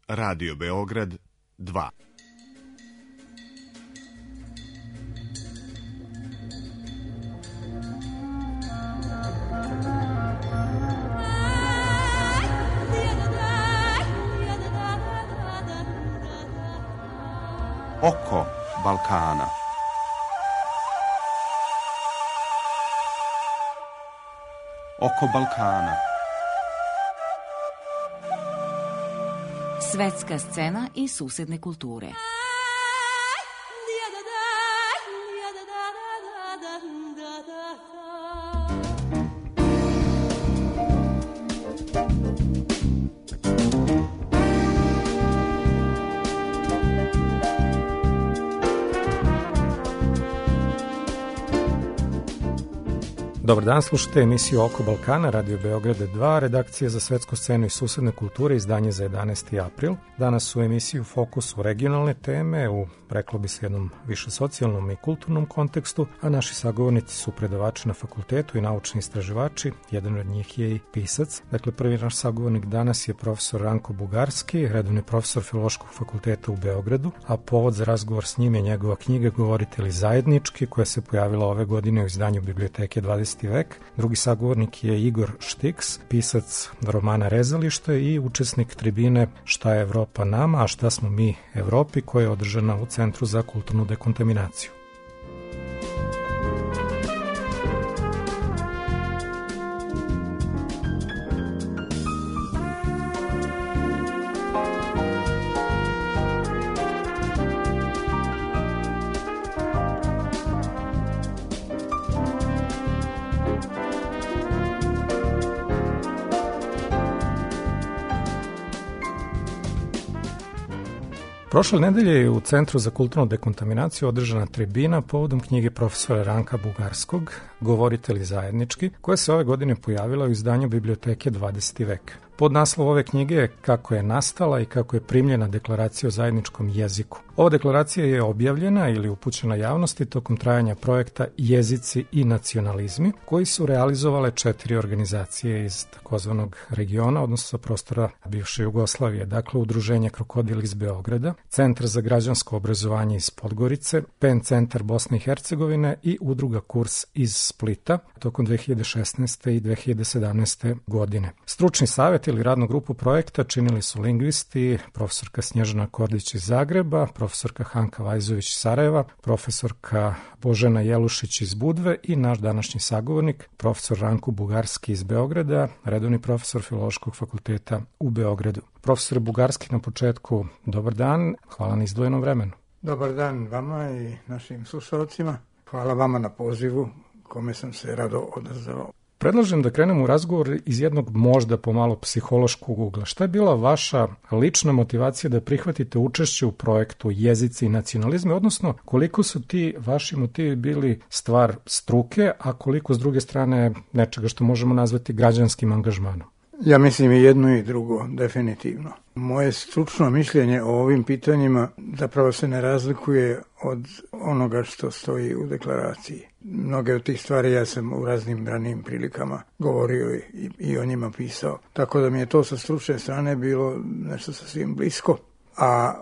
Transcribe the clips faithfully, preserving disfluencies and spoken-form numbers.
Radio Beograd dva. Oko Balkana. Oko Balkana. Svetska scena i susedne kulture. Dobar dan, slušate emisiju Oko Balkana, Radio Beograda dva, redakcija za svetsku scenu i susedne kulture, izdanje za jedanaesti april. Danas u emisiji u fokusu regionalne teme, u, reklo bi se, jednom više socijalnom i kulturnom kontekstu, a naši sagovornici su predavači na fakultetu i naučni istraživači, jedan od njih je i pisac. Dakle, prvi naš sagovornik danas je profesor Ranko Bugarski, redovni profesor Filološkog fakulteta u Beogradu, a povod za razgovor s njim je njegova knjiga Govoritelji zajednički, koja se pojavila ove godine u izdanju Biblioteke dvadeseti vek. Drugi sagovornik je Igor Štiks, pisac romana Rezalište i učesnik tribine Šta je Evropa nama, a šta smo mi Evropi, koja je održana u Centru za kulturnu dekontaminaciju. Prošle nedelje je u Centru za kulturnu dekontaminaciju održana tribina povodom knjige profesora Ranka Bugarskog, Govoritelji zajednički, koja se ove godine pojavila u izdanju Biblioteke dvadeseti vek. Pod naslov ove knjige je Kako je nastala i kako je primljena deklaracija o zajedničkom jeziku. Ova deklaracija je objavljena ili upućena javnosti tokom trajanja projekta Jezici i nacionalizmi, koji su realizovale četiri organizacije iz takozvanog regiona, odnosno sa prostora bivše Jugoslavije, dakle Udruženje Krokodil iz Beograda, Centar za građansko obrazovanje iz Podgorice, Pen centar Bosne i Hercegovine i Udruga Kurs iz Splita tokom dve hiljade šesnaeste i dve hiljade sedamnaeste godine. Stručni savjet ili radnu grupu projekta činili su lingvisti, profesorka Snježana Kordić iz Zagreba, profesorka Hanka Vajzović iz Sarajeva, profesorka Božena Jelušić iz Budve i naš današnji sagovornik, profesor Ranko Bugarski iz Beograda, redovni profesor Filološkog fakulteta u Beogradu. Profesor Bugarski, na početku, dobar dan, hvala na izdvojenom vremenu. Dobar dan vama i našim slušalcima. Hvala vama na pozivu, kome sam se rado odazvao. Predlažem da krenemo u razgovor iz jednog možda pomalo psihološkog ugla. Šta je bila vaša lična motivacija da prihvatite učešće u projektu Jezici i nacionalizmi, odnosno koliko su ti vaši motivi bili stvar struke, a koliko s druge strane nečega što možemo nazvati građanskim angažmanom? Ja mislim i jedno i drugo, definitivno. Moje stručno mišljenje o ovim pitanjima zapravo se ne razlikuje od onoga što stoji u deklaraciji. Mnoge od tih stvari ja sam u raznim ranijim prilikama govorio i, i o njima pisao. Tako da mi je to sa stručne strane bilo nešto sasvim blisko. A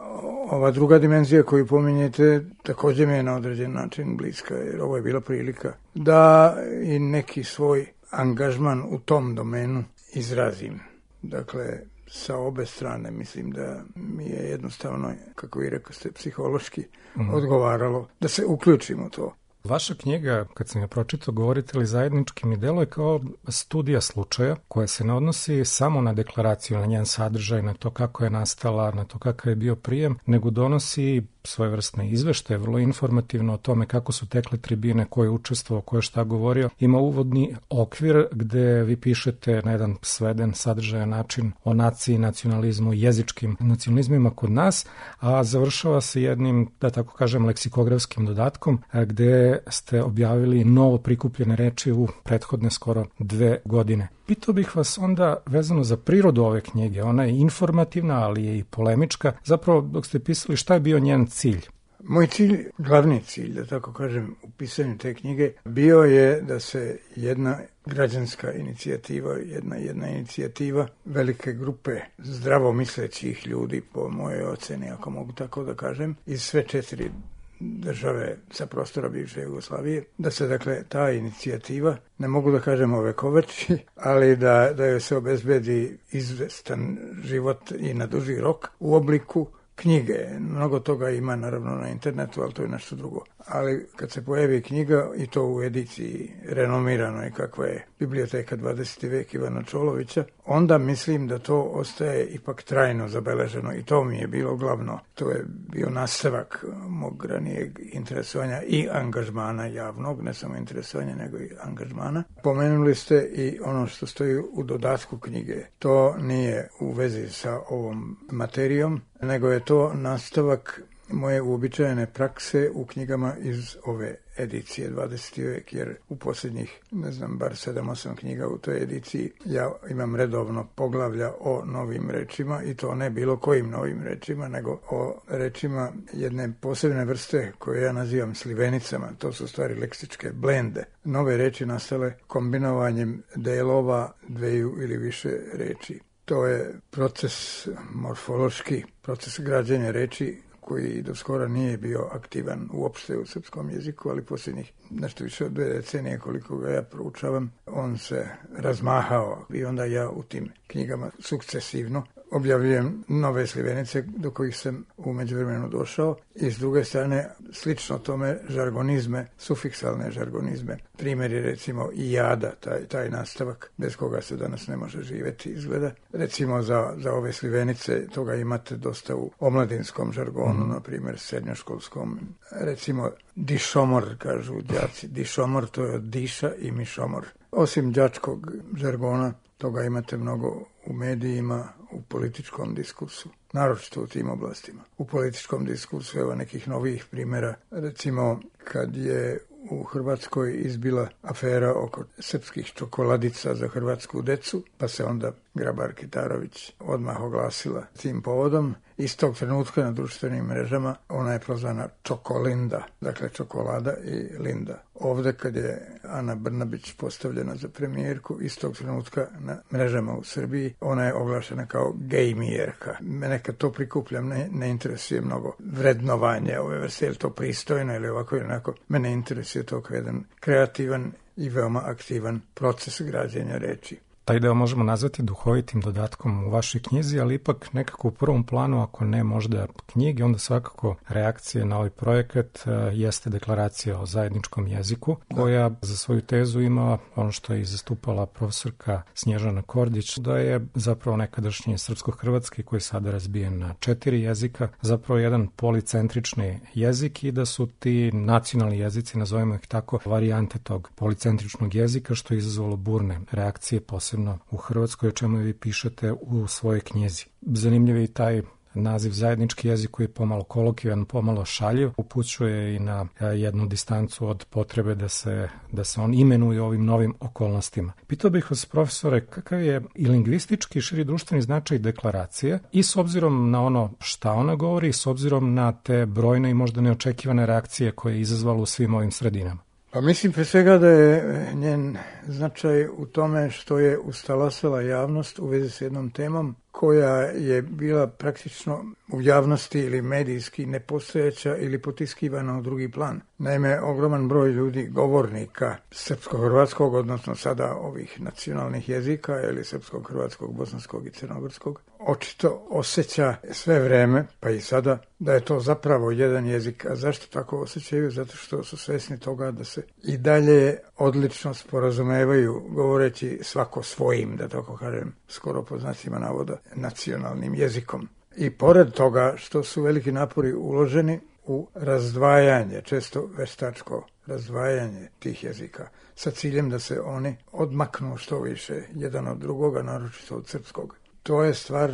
ova druga dimenzija koju pominjete također mi je na određen način bliska, jer ovo je bila prilika da i neki svoj angažman u tom domenu izrazim. Dakle, sa obe strane mislim da mi je jednostavno, kako vi rekao ste, psihološki mm. odgovaralo da se uključimo u to. Vaša knjiga, kad sam je pročitao, Govoritelji zajednički, mi deluje kao studija slučaja koja se ne odnosi samo na deklaraciju, na njen sadržaj, na to kako je nastala, na to kakav je bio prijem, nego donosi svojevrsne izveštaje, vrlo informativno o tome kako su tekle tribine, ko je učestvovao, ko je šta govorio. Ima uvodni okvir gde vi pišete na jedan sveden sadržajan način o naciji, nacionalizmu, jezičkim nacionalizmima kod nas, a završava se jednim, da tako kažem, leksikografskim dodatkom gde ste objavili novo prikupljene reči u prethodne skoro dve godine. Pitao bih vas onda vezano za prirodu ove knjige. Ona je informativna, ali je i polemička. Zapravo, dok ste pisali, šta je bio njen cilj? Moj cilj, glavni cilj, da tako kažem, u pisanju te knjige, bio je da se jedna građanska inicijativa, jedna jedna inicijativa velike grupe zdravomislećih ljudi, po mojoj oceni, ako mogu tako da kažem, iz sve četiri države sa prostora bivše Jugoslavije, da se dakle ta inicijativa, ne mogu da kažem ovekoveči, ali da, da joj se obezbedi izvestan život i na duži rok u obliku knjige. Mnogo toga ima naravno na internetu, ali to je nešto drugo. Ali kad se pojavi knjiga i to u ediciji renomiranoj kakva je Biblioteka dvadeseti vek Ivana Čolovića, onda mislim da to ostaje ipak trajno zabeleženo i to mi je bilo glavno. To je bio nastavak mog ranijeg interesovanja i angažmana javnog, ne samo interesovanja nego i angažmana. Pomenuli ste i ono što stoji u dodatku knjige. To nije u vezi sa ovom materijom, nego je to nastavak moje uobičajene prakse u knjigama iz ove edicije dvadeseti vek, jer u posljednjih, ne znam, bar sedam osam knjiga u toj ediciji ja imam redovno poglavlja o novim rečima i to ne bilo kojim novim rečima, nego o rečima jedne posebne vrste koje ja nazivam slivenicama. To su stvari leksičke blende. Nove reči nastale kombinovanjem delova dveju ili više reči. To je proces morfološki, proces građenja reči koji do skora nije bio aktivan uopšte u srpskom jeziku, ali posljednjih nešto više od dve decenije koliko ga ja proučavam, on se razmahao i onda ja u tim knjigama sukcesivno objavljujem nove slivenice do kojih sam u međuvremenu došao i s druge strane slično tome žargonizme, sufiksalne žargonizme. Primjer je recimo i jada, taj, taj nastavak bez koga se danas ne može živjeti izgleda. Recimo za, za ove slivenice toga imate dosta u omladinskom žargonu, mm. na primjer srednjoškolskom. Recimo dišomor, kažu đaci. Dišomor to je od diša i mišomor. Osim đačkog žargona, toga imate mnogo u medijima, u političkom diskursu, naročito u tim oblastima. U političkom diskursu, evo nekih novih primjera, recimo kad je u Hrvatskoj izbila afera oko srpskih čokoladica za hrvatsku decu, pa se onda Grabar-Kitarović odmah oglasila tim povodom. Istog trenutka na društvenim mrežama ona je prozvana Čokolinda, dakle čokolada i linda. Ovde kad je Ana Brnabić postavljena za premijerku, istog trenutka na mrežama u Srbiji ona je oglašena kao gejmijerka. Mene kad to prikupljam ne, ne interesuje mnogo vrednovanje ove vrste, je li to pristojno ili ovako ili onako. Mene interesuje to kao jedan kreativan i veoma aktivan proces građenja reči. Taj deo možemo nazvati duhovitim dodatkom u vašoj knjizi, ali ipak nekako u prvom planu, ako ne možda knjige, onda svakako reakcije na ovaj projekat jeste deklaracija o zajedničkom jeziku, koja za svoju tezu ima ono što je zastupala profesorka Snježana Kordić, da je zapravo nekadašnji srpsko-hrvatski, koji je sada razbijen na četiri jezika, zapravo jedan policentrični jezik i da su ti nacionalni jezici, nazovimo ih tako, varijante tog policentričnog jezika, što je izazvalo burne reakcije, posebno u Hrvatskoj, o čemu vi pišete u svojoj knjizi. Zanimljiv je i taj naziv zajednički jezik koji je pomalo kolokvijan, pomalo šaljiv, upućuje i na jednu distancu od potrebe da se, da se on imenuje ovim novim okolnostima. Pitao bih vas, profesore, kakav je i lingvistički i širi društveni značaj deklaracije i s obzirom na ono šta ona govori i s obzirom na te brojne i možda neočekivane reakcije koje je izazvalo u svim ovim sredinama? Pa mislim pre svega da je njen značaj u tome što je ustalasala javnost u vezi s jednom temom koja je bila praktično u javnosti ili medijski nepostojeća ili potiskivana u drugi plan. Naime, ogroman broj ljudi, govornika srpsko-hrvatskog, odnosno sada ovih nacionalnih jezika ili srpskog, hrvatskog, bosanskog i crnogorskog, očito osjeća sve vreme, pa i sada, da je to zapravo jedan jezik. A zašto tako osjećaju? Zato što su svesni toga da se i dalje odlično sporazumevaju, govoreći svako svojim, da tako kažem, skoro po znacima navoda, nacionalnim jezikom. I pored toga što su veliki napori uloženi u razdvajanje, često veštačko razdvajanje tih jezika, sa ciljem da se oni odmaknu što više jedan od drugoga, naročito od srpskog. To je stvar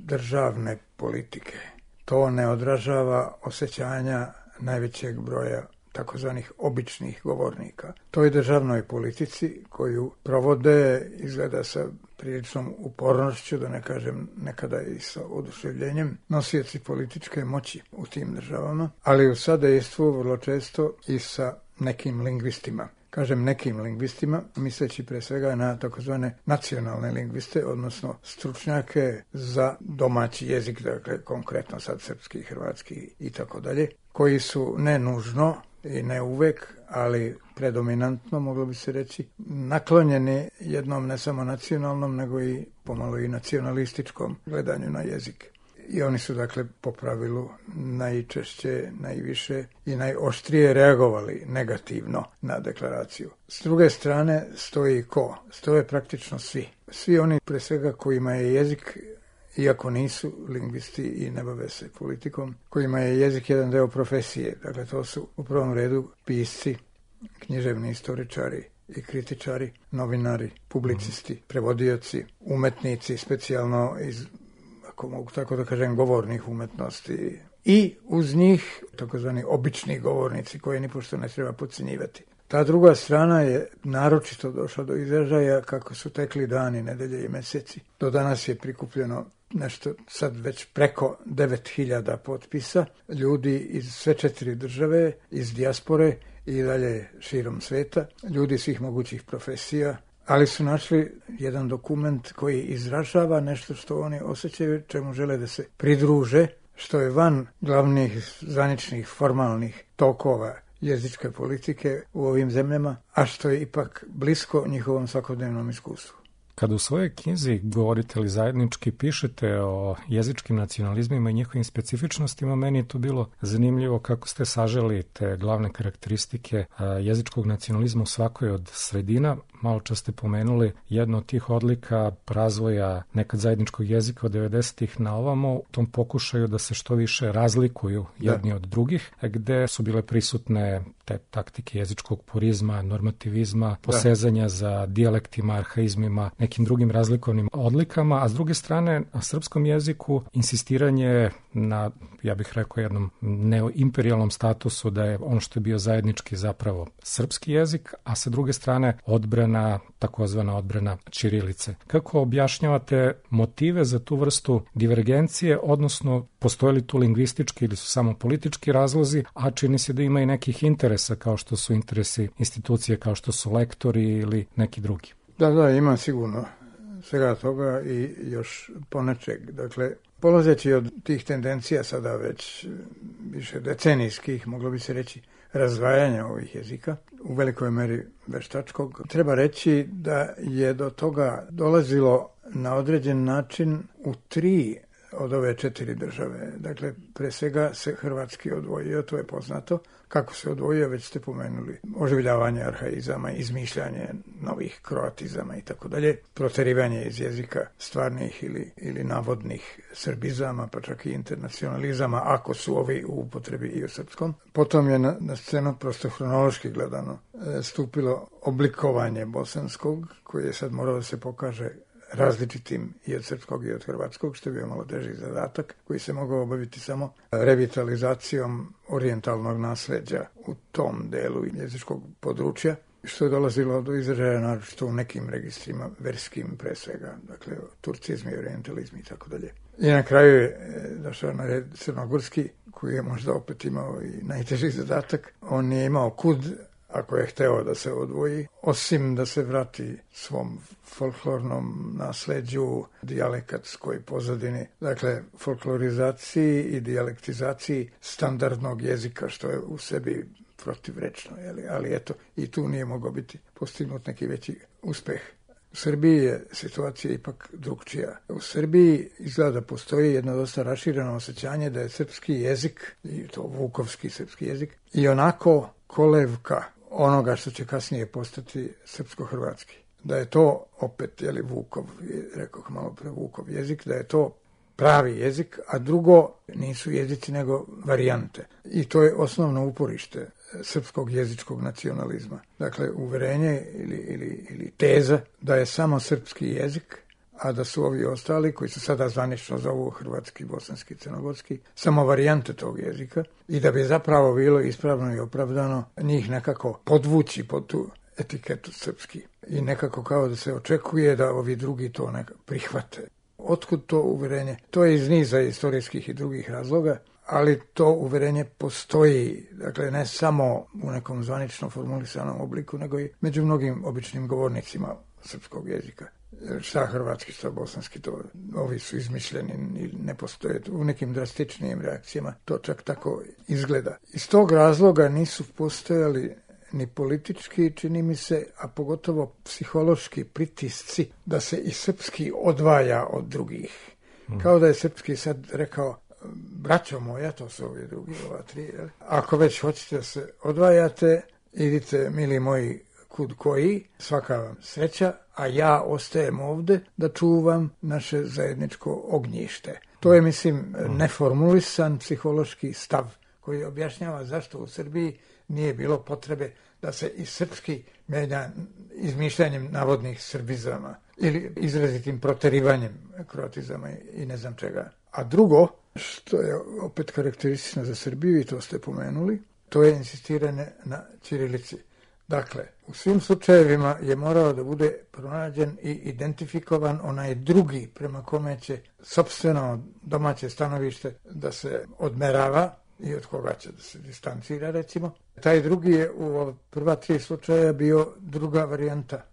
državne politike. To ne odražava osjećanja najvećeg broja takozvanih običnih govornika. Toj državnoj politici koju provode izgleda sa priličnom upornošću, da ne kažem nekada i sa oduševljenjem, nosioci političke moći u tim državama, ali u sadejstvu vrlo često i sa nekim lingvistima. Kažem nekim lingvistima, misleći pre svega na takozvane nacionalne lingviste, odnosno stručnjake za domaći jezik, dakle konkretno sad srpski, hrvatski i tako dalje, koji su ne nužno i ne uvek, ali predominantno, moglo bi se reći, naklonjeni jednom ne samo nacionalnom, nego i pomalo i nacionalističkom gledanju na jezik. I oni su, dakle, po pravilu najčešće, najviše i najoštrije reagovali negativno na deklaraciju. S druge strane stoji ko? Stoje praktično svi. Svi oni, pre svega, kojima je jezik, iako nisu lingvisti i ne bave se politikom, kojima je jezik jedan deo profesije. Dakle, to su u prvom redu pisci, književni istoričari i kritičari, novinari, publicisti, prevodioci, umetnici, specijalno iz, ako mogu tako da kažem, govornih umetnosti. I uz njih takozvani obični govornici koje nipošto ne treba podcenjivati. Ta druga strana je naročito došla do izražaja kako su tekli dani, nedelje i meseci. Do danas je prikupljeno nešto sad već preko devet hiljada potpisa ljudi iz sve četiri države, iz dijaspore i dalje širom sveta, ljudi svih mogućih profesija, ali su našli jedan dokument koji izražava nešto što oni osjećaju, čemu žele da se pridruže, što je van glavnih zvaničnih formalnih tokova jezičke politike u ovim zemljama, a što je ipak blisko njihovom svakodnevnom iskustvu. Kada u svojoj knjizi Govoritelji zajednički pišete o jezičkim nacionalizmima i njihovim specifičnostima, meni je to bilo zanimljivo kako ste saželi te glavne karakteristike jezičkog nacionalizma u svakoj od sredina. Malo čas ste pomenuli jedno od tih odlika razvoja nekad zajedničkog jezika od devedesetih na ovamo, u tom pokušaju da se što više razlikuju jedni da. od drugih, gde su bile prisutne te taktike jezičkog purizma, normativizma, posezanja da. za dijalektima, arhaizmima, nekim drugim razlikovnim odlikama, a s druge strane, na srpskom jeziku insistiranje na, ja bih rekao, jednom neoimperijalnom statusu da je ono što je bio zajednički zapravo srpski jezik, a sa druge strane odbrana, takozvana odbrana ćirilice. Kako objašnjavate motive za tu vrstu divergencije, odnosno postoje li tu lingvistički ili su samo politički razlozi, a čini se da ima i nekih interesa kao što su interesi institucije, kao što su lektori ili neki drugi? Da, da, ima sigurno svega toga i još ponečeg. Dakle, polazeći od tih tendencija sada već više decenijskih, moglo bi se reći, razdvajanja ovih jezika, u velikoj meri veštačkog, treba reći da je do toga dolazilo na određen način u tri od ove četiri države. Dakle, pre svega se hrvatski odvojio, to je poznato. Kako se odvojio, već ste pomenuli. Oživljavanje arhaizama, izmišljanje novih kroatizama i tako dalje. Proterivanje iz jezika stvarnih ili, ili navodnih srbizama, pa čak i internacionalizama, ako su ovi u upotrebi i u srpskom. Potom je na, na scenu, prosto hronološki gledano, stupilo oblikovanje bosanskog, koje je sad moralo da se pokaže različitim i od srpskog i od hrvatskog, što je bio malo teži zadatak, koji se mogao obaviti samo revitalizacijom orijentalnog nasleđa u tom delu jezičkog područja, što je dolazilo do izražaja naročito u nekim registrima verskim pre svega, dakle turcizmi, orientalizmi i tako dalje. I na kraju je došao na red crnogorski, koji je možda opet imao i najteži zadatak. On je imao kud, ako je hteo da se odvoji, osim da se vrati svom folklornom nasleđu, dijalekatskoj pozadini, dakle folklorizaciji i dijalektizaciji standardnog jezika, što je u sebi protivrečno, jeli? Ali eto, i tu nije mogao biti postignut neki veći uspeh. U Srbiji je situacija ipak drugčija. U Srbiji izgleda da postoji jedno dosta rašireno osjećanje da je srpski jezik, i to vukovski srpski jezik, i onako kolevka onoga što će kasnije postati srpsko-hrvatski. Da je to opet, jeli, Vukov, rekoh malo pre Vukov jezik, da je to pravi jezik, a drugo nisu jezici nego varijante. I to je osnovno uporište srpskog jezičkog nacionalizma. Dakle, uverenje ili, ili, ili teza da je samo srpski jezik, a da su ovi ostali, koji se sada zvanično zovu hrvatski, bosanski, crnogorski, samo varijante tog jezika, i da bi zapravo bilo ispravno i opravdano njih nekako podvući pod tu etiketu srpski. I nekako kao da se očekuje da ovi drugi to nekako prihvate. Otkud to uverenje? To je iz niza istorijskih i drugih razloga, ali to uverenje postoji, dakle ne samo u nekom zvanično formulisanom obliku, nego i među mnogim običnim govornicima srpskog jezika. Šta hrvatski, šta bosanski, to ovi su izmišljeni i ne postoje. U nekim drastičnijim reakcijama to čak tako izgleda. Iz tog razloga nisu postojali ni politički, čini mi se, a pogotovo psihološki pritisci da se i srpski odvaja od drugih. Mm. Kao da je srpski sad rekao, braćo moja, to su ovi drugi, ova tri, jel? Ako već hoćete da se odvajate, idite, mili moji, kud koji, svaka vam sreća, a ja ostajem ovde da čuvam naše zajedničko ognjište. To je, mislim, neformulisan psihološki stav koji objašnjava zašto u Srbiji nije bilo potrebe da se i srpski menja izmišljanjem navodnih srbizama ili izrazitim proterivanjem kroatizama i ne znam čega. A drugo, što je opet karakteristično za Srbiju, i to ste pomenuli, to je insistiranje na ćirilici. Dakle, u svim slučajevima je morao da bude pronađen i identifikovan onaj drugi prema kome će sopstveno domaće stanovište da se odmerava i od koga će da se distancira, recimo. Taj drugi je u prva tri slučaja bio druga varijanta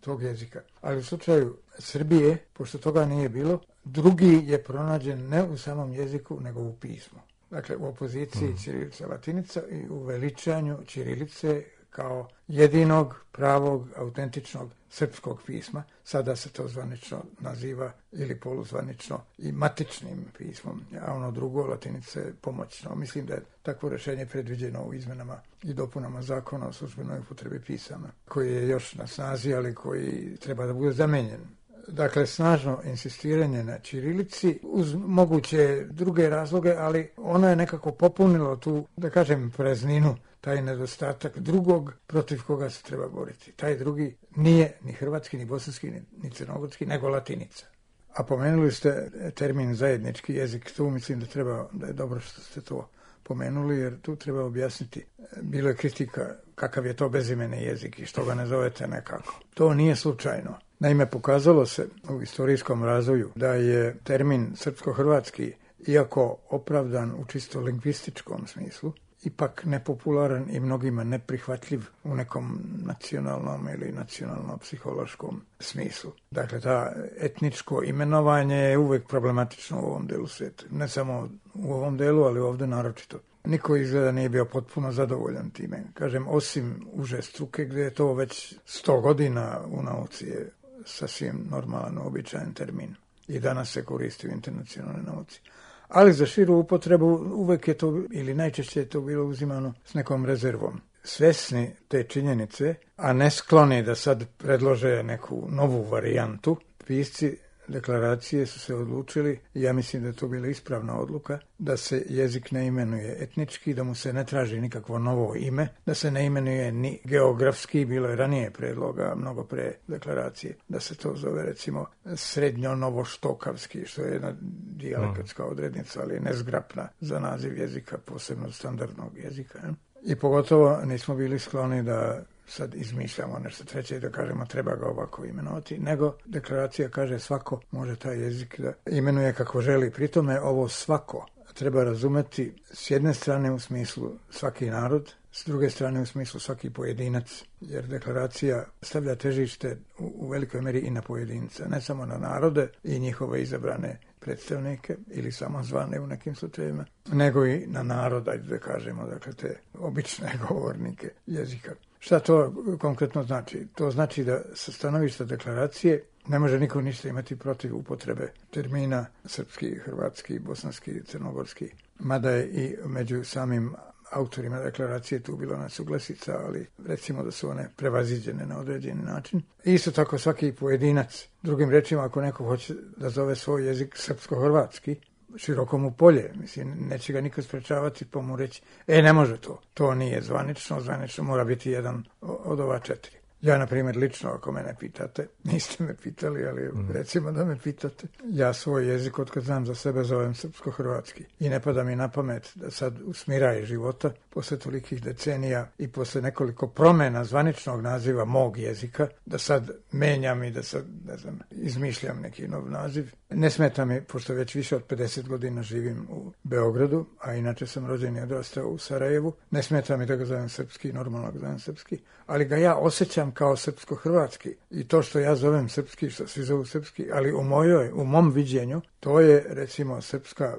tog jezika. Ali u slučaju Srbije, pošto toga nije bilo, drugi je pronađen ne u samom jeziku, nego u pismu. Dakle, u opoziciji ćirilica latinica i u veličanju ćirilice kao jedinog, pravog, autentičnog srpskog pisma. Sada se to zvanično naziva ili poluzvanično i matičnim pismom, a ono drugo, latinica, je pomoćno. Mislim da je takvo rešenje predviđeno u izmenama i dopunama zakona o službenoj upotrebi pisama, koji je još na snazi, ali koji treba da bude zamenjen. Dakle, snažno insistiranje na ćirilici uz moguće druge razloge, ali ono je nekako popunilo tu, da kažem, prazninu, taj nedostatak drugog protiv koga se treba boriti. Taj drugi nije ni hrvatski, ni bosanski, ni, ni crnogorski, nego latinica. A pomenuli ste termin zajednički jezik, tu mislim da treba, da je dobro što ste to pomenuli, jer tu treba objasniti. Bilo je kritika kakav je to bezimeni jezik i što ga ne zovete nekako. To nije slučajno. Naime, pokazalo se u istorijskom razvoju da je termin srpsko-hrvatski, iako opravdan u čisto lingvističkom smislu, ipak nepopularan i mnogima neprihvatljiv u nekom nacionalnom ili nacionalno-psihološkom smislu. Dakle, ta etničko imenovanje je uvek problematično u ovom delu sveta. Ne samo u ovom delu, ali ovde naročito. Niko izgleda nije bio potpuno zadovoljan time. Kažem, osim uže struke, gde je to već sto godina u nauci je sasvim normalan, običajan termin. I danas se koristi u internacionalnoj nauci. Ali za širu upotrebu uvek je to, ili najčešće je to bilo uzimano s nekom rezervom. Svesni te činjenice, a ne skloni da sad predlože neku novu varijantu, pisci deklaracije su se odlučili, i ja mislim da je to bila ispravna odluka, da se jezik ne imenuje etnički, da mu se ne traži nikakvo novo ime, da se ne imenuje ni geografski, bilo je ranije predloga, mnogo pre deklaracije, da se to zove recimo srednjo-novoštokavski, što je jedna dijalekatska odrednica, ali nezgrapna za naziv jezika, posebno standardnog jezika. Ne? I pogotovo nismo bili skloni da sad izmišljamo nešto treće i da kažemo treba ga ovako imenovati, nego deklaracija kaže svako može taj jezik da imenuje kako želi. Pritome ovo svako treba razumeti s jedne strane u smislu svaki narod, s druge strane u smislu svaki pojedinac, jer deklaracija stavlja težište u, u velikoj meri i na pojedinca, ne samo na narode i njihove izabrane predstavnike ili samozvane u nekim slučajevima, nego i na narod, ajde da kažemo, dakle te obične govornike jezika. Šta to konkretno znači? To znači da sa stanovišta deklaracije ne može niko ništa imati protiv upotrebe termina srpski, hrvatski, bosanski, crnogorski. Mada je i među samim autorima deklaracije tu bilo nesuglasica, ali recimo da su one prevaziđene na određeni način. Isto tako svaki pojedinac. Drugim rečima, ako neko hoće da zove svoj jezik srpsko-hrvatski, široko mu polje, mislim, neće ga niko sprečavati pa mu reći, e, ne može to, to nije zvanično, zvanično mora biti jedan od ova četiri. Ja, na primjer, lično, ako mene pitate, niste me pitali, ali recimo da me pitate, ja svoj jezik, otkad znam za sebe, zovem srpsko-hrvatski. I ne pada mi na pamet da sad u smiraji života, posle tolikih decenija i posle nekoliko promjena zvaničnog naziva mog jezika, da sad menjam i da sad, ne znam, izmišljam neki nov naziv. Ne smeta mi, pošto već više od pedeset godina živim u Beogradu, a inače sam rođen i odrastao u Sarajevu, ne smeta mi da ga zovem srpski, normalno ga zovem srpski, ali ga ja osjećam kao srpsko-hrvatski. I to što ja zovem srpski, što svi zovu srpski, ali u mojoj, u mom viđenju, to je recimo srpska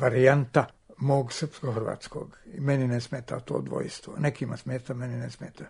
varijanta mog srpsko-hrvatskog. I meni ne smeta to dvojstvo. Nekima smeta, meni ne smeta.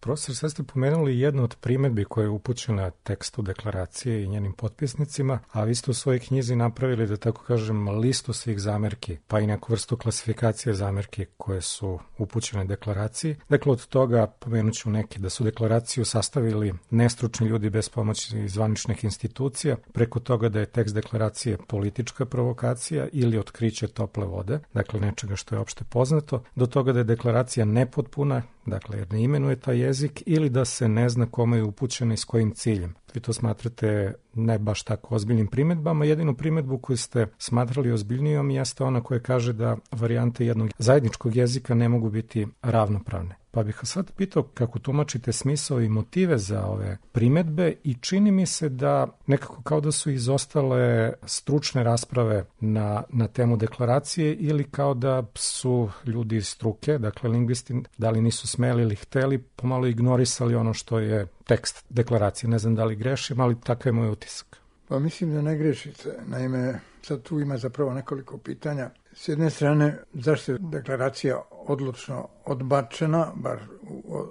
Profesor, sad ste pomenuli jednu od primjedbi koja je upućena tekstu deklaracije i njenim potpisnicima, a vi ste u svojoj knjizi napravili, da tako kažem, listu svih zamerki, pa i neku vrstu klasifikacije zamerki koje su upućene deklaraciji. Dakle, od toga pomenut ću neke, da su deklaraciju sastavili nestručni ljudi bez pomoći zvaničnih institucija, preko toga da je tekst deklaracije politička provokacija ili otkriće tople vode, dakle nečega što je opšte poznato, do toga da je deklaracija nepotpuna, dakle jer ne imenuje taj jezik, ili da se ne zna kome je upućena i s kojim ciljem. Vi to smatrate ne baš tako ozbiljnim primjedbama. Jedinu primjedbu koju ste smatrali ozbiljnijom jeste ona koja kaže da varijante jednog zajedničkog jezika ne mogu biti ravnopravne. Pa bih vas sad pitao kako tumačite smisao i motive za ove primjedbe i čini mi se da nekako kao da su izostale stručne rasprave na, na temu deklaracije ili kao da su ljudi iz struke, dakle lingvisti, da li nisu smeli ili hteli, pomalo ignorisali ono što je tekst deklaracije. Ne znam da li grešim, ali takav je moj utisak. Pa mislim da ne grešite. Naime, sad tu ima zapravo nekoliko pitanja. S jedne strane, zašto je deklaracija odlučno odbačena, bar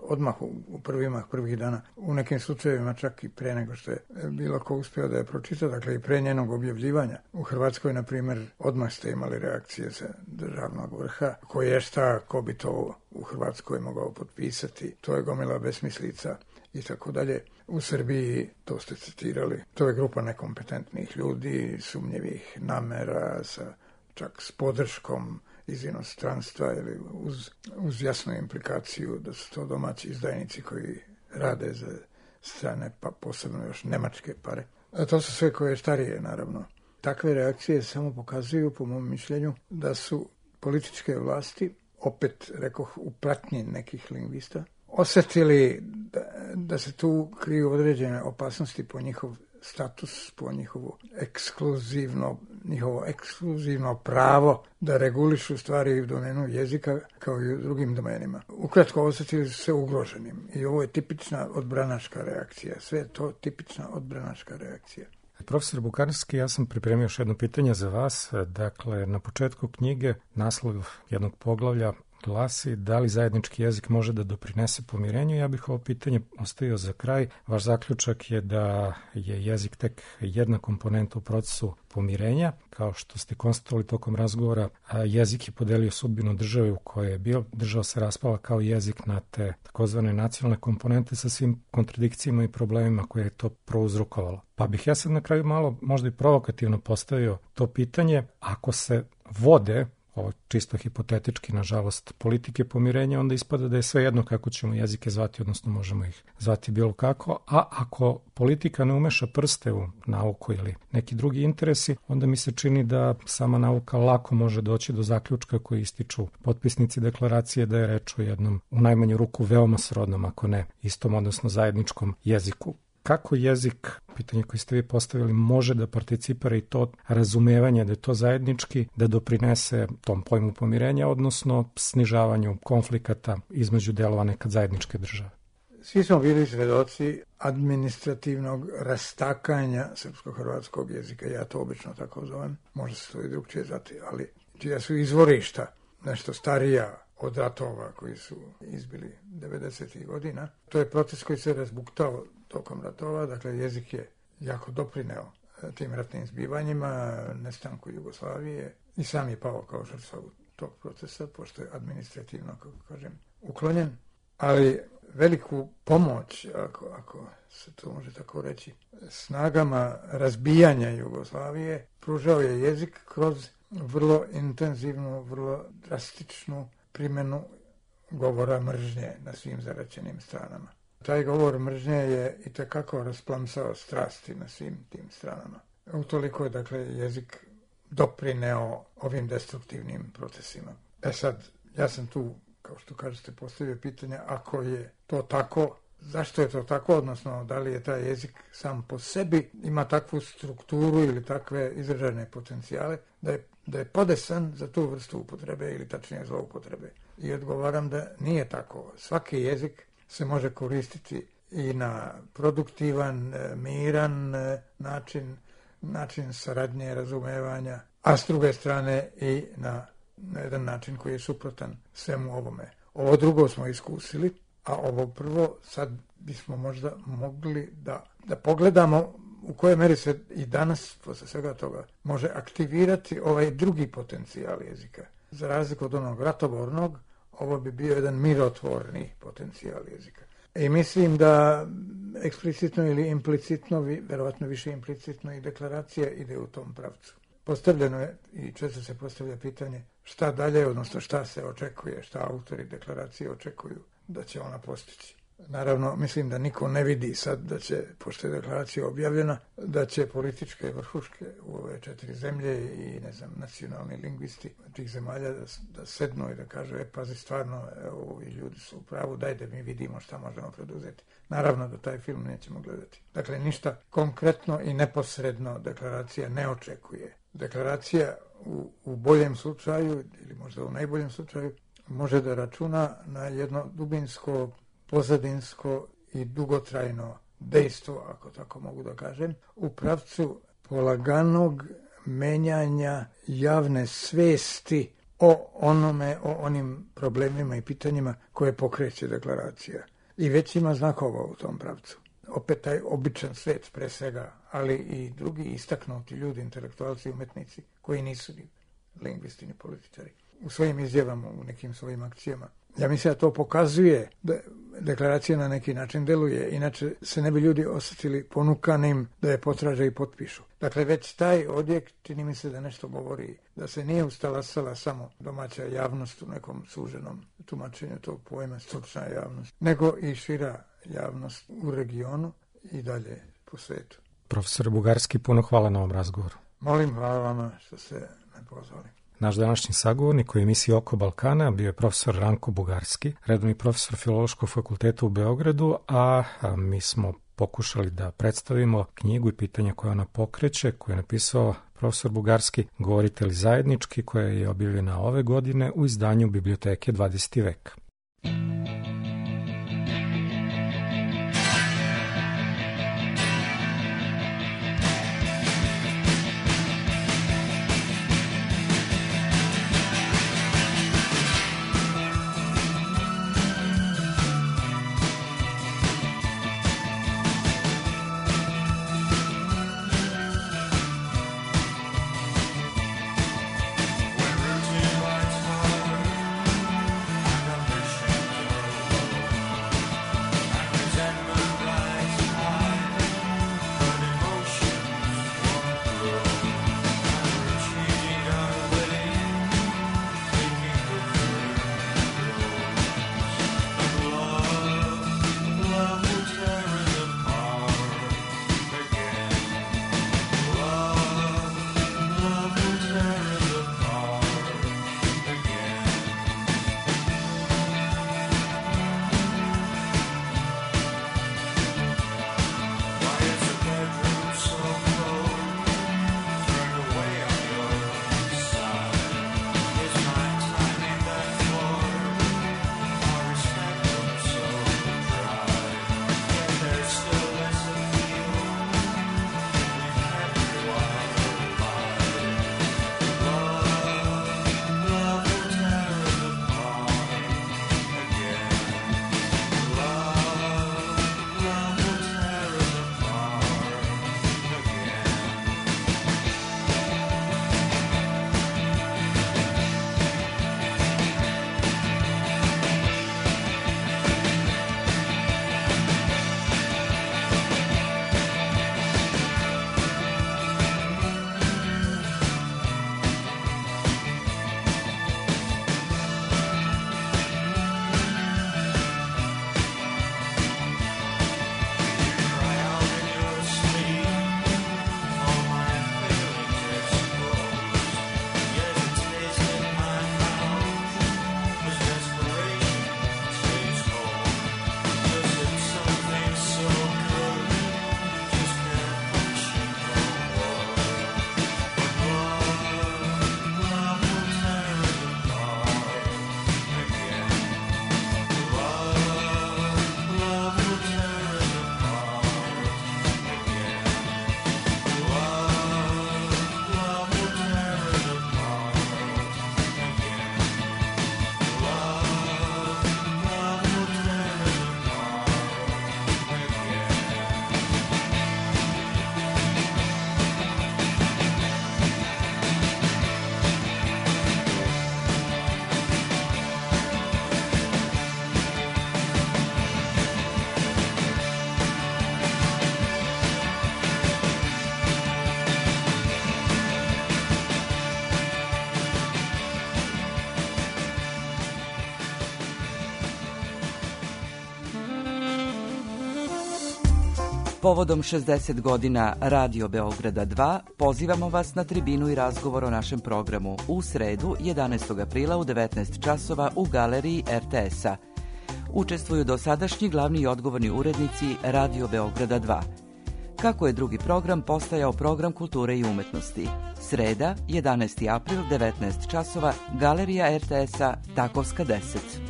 odmah u prvima prvih dana, u nekim slučajevima čak i pre nego što je bilo ko uspio da je pročita, dakle i pre njenog objavljivanja. U Hrvatskoj, na primjer, odmah ste imali reakcije sa državnog vrha, ko je šta, ko bi to u Hrvatskoj mogao potpisati, to je gomila besmislica i tako dalje. U Srbiji, to ste citirali, to je grupa nekompetentnih ljudi, sumnjivih namera, sa čak s podrškom iz inostranstva ili uz, uz jasnu implikaciju da su to domaći izdajnici koji rade za strane, pa posebno još nemačke pare. A to su sve koje starije, naravno. Takve reakcije samo pokazuju, po mom mišljenju, da su političke vlasti, opet rekoh u pratnji nekih lingvista, osjetili da, da se tu kriju određene opasnosti po njihov status, po njihovo ekskluzivno, njihovo ekskluzivno pravo da regulišu stvari u domenu jezika kao i u drugim domenima. Ukratko, osjetili su se ugroženim i ovo je tipična odbranaška reakcija. Sve je to tipična odbranaška reakcija. Profesor Bukarski, ja sam pripremio još jedno pitanje za vas. Dakle, na početku knjige naslov jednog poglavlja glasi da li zajednički jezik može da doprinese pomirenju. Ja bih ovo pitanje ostavio za kraj. Vaš zaključak je da je jezik tek jedna komponenta u procesu pomirenja. Kao što ste konstatovali tokom razgovora, jezik je podelio sudbinu države u kojoj je bio. Država se raspala kao jezik na te takozvane nacionalne komponente sa svim kontradikcijama i problemima koje je to prouzrokovalo. Pa bih ja sad na kraju malo možda i provokativno postavio to pitanje. Ako se vode, ovo čisto hipotetički, nažalost, politike pomirenja, onda ispada da je sve jedno kako ćemo jezike zvati, odnosno možemo ih zvati bilo kako, a ako politika ne umeša prste u nauku ili neki drugi interesi, onda mi se čini da sama nauka lako može doći do zaključka koji ističu potpisnici deklaracije da je reč o jednom, u najmanju ruku, veoma srodnom, ako ne istom, odnosno zajedničkom jeziku. Kako jezik, pitanje koje ste vi postavili, može da participira i to razumevanje da je to zajednički, da doprinese tom pojmu pomirenja, odnosno snižavanju konflikata između delova nekad zajedničke države? Svi smo bili svedoci administrativnog rastakanja srpsko-hrvatskog jezika. Ja to obično tako zovem. Može se to i drugčije zvati, ali čija su izvorišta nešto starija od ratova koji su izbili devedesetih godina. To je proces koji se razbuktao tokom ratova, dakle jezik je jako doprineo tim ratnim zbivanjima, nestanku Jugoslavije i sam je pao kao žrtva tog procesa, pošto je administrativno, kako kažem, uklonjen. Ali veliku pomoć, ako, ako se to može tako reći, snagama razbijanja Jugoslavije pružao je jezik kroz vrlo intenzivnu, vrlo drastičnu primjenu govora mržnje na svim zaraćenim stranama. Taj govor mržnje je i tekako rasplamsao strasti na svim tim stranama. Utoliko je, dakle, jezik doprineo ovim destruktivnim procesima. E sad, ja sam tu, kao što kažete, postavio pitanje, ako je to tako, zašto je to tako, odnosno da li je taj jezik sam po sebi, ima takvu strukturu ili takve izražajne potencijale, da je, da je podesan za tu vrstu upotrebe ili tačnije zloupotrebe. I odgovaram da nije tako. Svaki jezik se može koristiti i na produktivan, miran način, način saradnje, razumevanja, a s druge strane i na, na jedan način koji je suprotan svemu ovome. Ovo drugo smo iskusili, a ovo prvo sad bismo možda mogli da, da pogledamo u kojoj meri se i danas, posle svega toga, može aktivirati ovaj drugi potencijal jezika. Za razliku od onog ratobornog, ovo bi bio jedan mirotvorni potencijal jezika. I mislim da eksplicitno ili implicitno, verovatno više implicitno, i deklaracija ide u tom pravcu. Postavljeno je i često se postavlja pitanje šta dalje, odnosno šta se očekuje, šta autori deklaracije očekuju da će ona postići. Naravno, mislim da niko ne vidi sad da će, pošto je deklaracija objavljena, da će političke vrhuške u ove četiri zemlje i, ne znam, nacionalni lingvisti tih zemalja da, da sednu i da kažu, e, pazi, stvarno, ovi ljudi su u pravu, daj da mi vidimo šta možemo preduzeti. Naravno da taj film nećemo gledati. Dakle, ništa konkretno i neposredno deklaracija ne očekuje. Deklaracija u, u boljem slučaju, ili možda u najboljem slučaju, može da računa na jedno dubinsko, pozadinsko i dugotrajno dejstvo, ako tako mogu da kažem, u pravcu polaganog menjanja javne svesti o onome, o onim problemima i pitanjima koje pokreće deklaracija. I već ima znakova u tom pravcu. Opet taj običan svet pre svega, ali i drugi istaknuti ljudi, intelektualci i umetnici, koji nisu ni lingvisti ni političari. U svojim izjavama, u nekim svojim akcijama. Ja mislim da to pokazuje da deklaracija na neki način deluje, inače se ne bi ljudi osjetili ponukanim da je potraže i potpišu. Dakle, već taj odjek čini mi se da nešto govori, da se nije ustalasala samo domaća javnost u nekom suženom tumačenju tog pojma, stručna javnost, nego i šira javnost u regionu i dalje po svetu. Profesor Bugarski, puno hvala na ovom razgovoru. Molim, hvala vama što ste me pozvali. Naš današnji sagovornik u emisiji Oko Balkana bio je profesor Ranko Bugarski, redovni profesor Filološkog fakulteta u Beogradu, a mi smo pokušali da predstavimo knjigu i pitanja koje ona pokreće, koju je napisao profesor Bugarski, Govorite li zajednički, koja je objavljena ove godine u izdanju Biblioteke dvadeseti vek. When routine lights fall and ambition Povodom šezdeset godina Radio Beograda dva pozivamo vas na tribinu i razgovor o našem programu u sredu jedanaestog aprila u devetnaest časova u galeriji er te es-a. Učestvuju dosadašnji glavni i odgovorni urednici Radio Beograda dva. Kako je drugi program postajao program kulture i umetnosti? Sreda, jedanaesti april, devetnaest časova, galerija er te es-a, Takovska deset.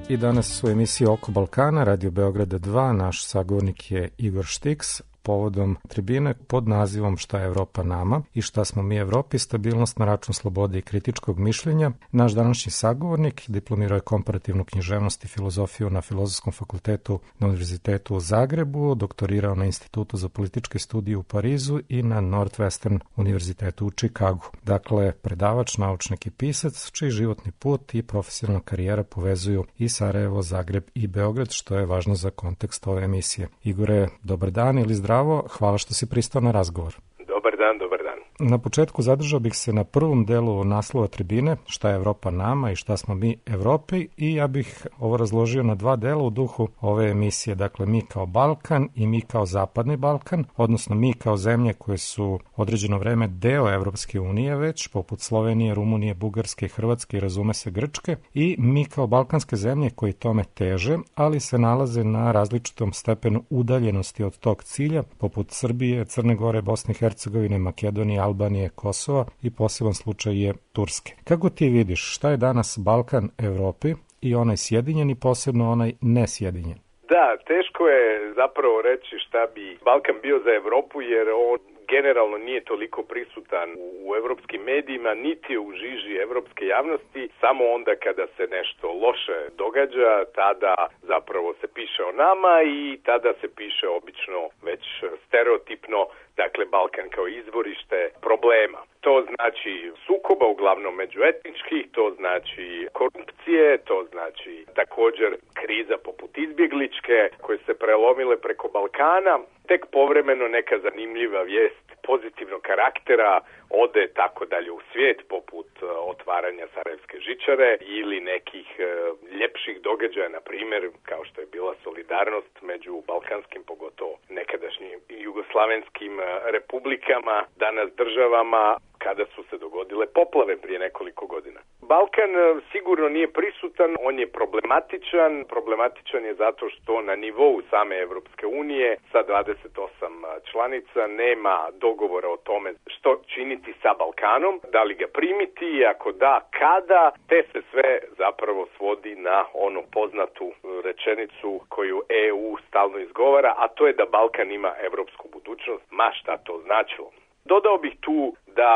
I danas u emisiji Oko Balkana, Radio Beograda dva, naš sagovornik je Igor Štiks, povodom tribine pod nazivom Šta je Evropa nama i šta smo mi Evropi, stabilnost na račun slobode i kritičkog mišljenja. Naš današnji sagovornik diplomirao je komparativnu književnost i filozofiju na Filozofskom fakultetu na Univerzitetu u Zagrebu, doktorirao na Institutu za političke studije u Parizu i na Northwestern univerzitetu u Čikagu. Dakle, predavač, naučnik i pisac, čiji životni put i profesionalna karijera povezuju i Sarajevo, Zagreb i Beograd, što je važno za kontekst ove emisije. Igore, dobar dan ili zdravo. Bravo, hvala što si pristao na razgovor. Dobar dan, dobar dan. Na početku zadržao bih se na prvom delu naslova tribine, šta je Evropa nama i šta smo mi Evropi, i ja bih ovo razložio na dva dela u duhu ove emisije. Dakle, mi kao Balkan i mi kao Zapadni Balkan, odnosno mi kao zemlje koje su određeno vreme deo Evropske unije već, poput Slovenije, Rumunije, Bugarske, Hrvatske i razume se Grčke, i mi kao balkanske zemlje koji tome teže, ali se nalaze na različitom stepenu udaljenosti od tog cilja, poput Srbije, Crne Gore, Bosne i Hercegovine, Makedonije, Albanije, Kosova i poseban slučaj je Turske. Kako ti vidiš, šta je danas Balkan Evropi i onaj sjedinjen i posebno onaj nesjedinjen? Da, teško je zapravo reći šta bi Balkan bio za Evropu, jer on generalno nije toliko prisutan u evropskim medijima, niti u žiži evropske javnosti. Samo onda kada se nešto loše događa, tada zapravo se piše o nama i tada se piše obično već stereotipno, dakle Balkan kao izvorište problema. To znači sukoba, uglavnom međuetničkih, to znači korupcije, to znači također kriza poput izbjegličke koje se prelomile preko Balkana. Tek povremeno neka zanimljiva vijest pozitivnog karaktera ode tako dalje u svijet, poput otvaranja Sarajevske žičare ili nekih e, ljepših događaja, na primjer kao što je bila solidarnost među balkanskim, pogotovo nekadašnjim jugoslavenskim republikama, danas državama, kada su se dogodile poplave prije nekoliko godina. Balkan sigurno nije prisutan, on je problematičan. Problematičan je zato što na nivou same Evropske unije sa dvadeset osam članica nema dogovora o tome što činiti sa Balkanom, da li ga primiti, ako da, kada, te se sve zapravo svodi na onu poznatu rečenicu koju E U stalno izgovara, a to je da Balkan ima evropsku budućnost, ma šta to značilo. Dodao bih tu da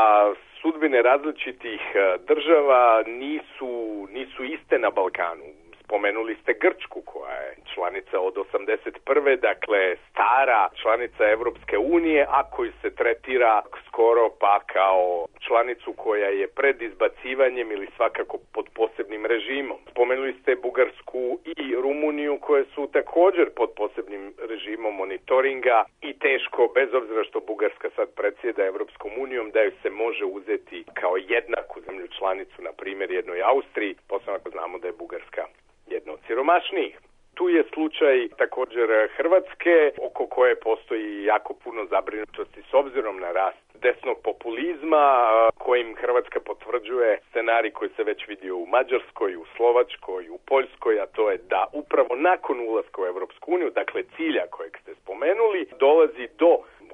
sudbine različitih država nisu, nisu iste na Balkanu. Spomenuli ste Grčku koja je članica od osamdeset prve, dakle stara članica Evropske unije, a koju se tretira skoro pa kao članicu koja je pred izbacivanjem ili svakako pod posebnim režimom. Spomenuli ste Bugarsku i Rumuniju koje su također pod posebnim režimom monitoringa i teško, bez obzira što Bugarska sad predsjeda Evropskom unijom, da ju se može uzeti kao jednaku zemlju članicu, na primjer jednoj Austriji, posebno ako znamo da je Bugarska jedna od siromašnijih. Tu je slučaj također Hrvatske, oko koje postoji jako puno zabrinutosti s obzirom na rast desnog populizma, kojim Hrvatska potvrđuje scenarij koji se već vidio u Mađarskoj, u Slovačkoj, u Poljskoj, a to je da upravo nakon ulaska u Evropsku uniju, dakle cilja kojeg ste spomenuli, dolazi do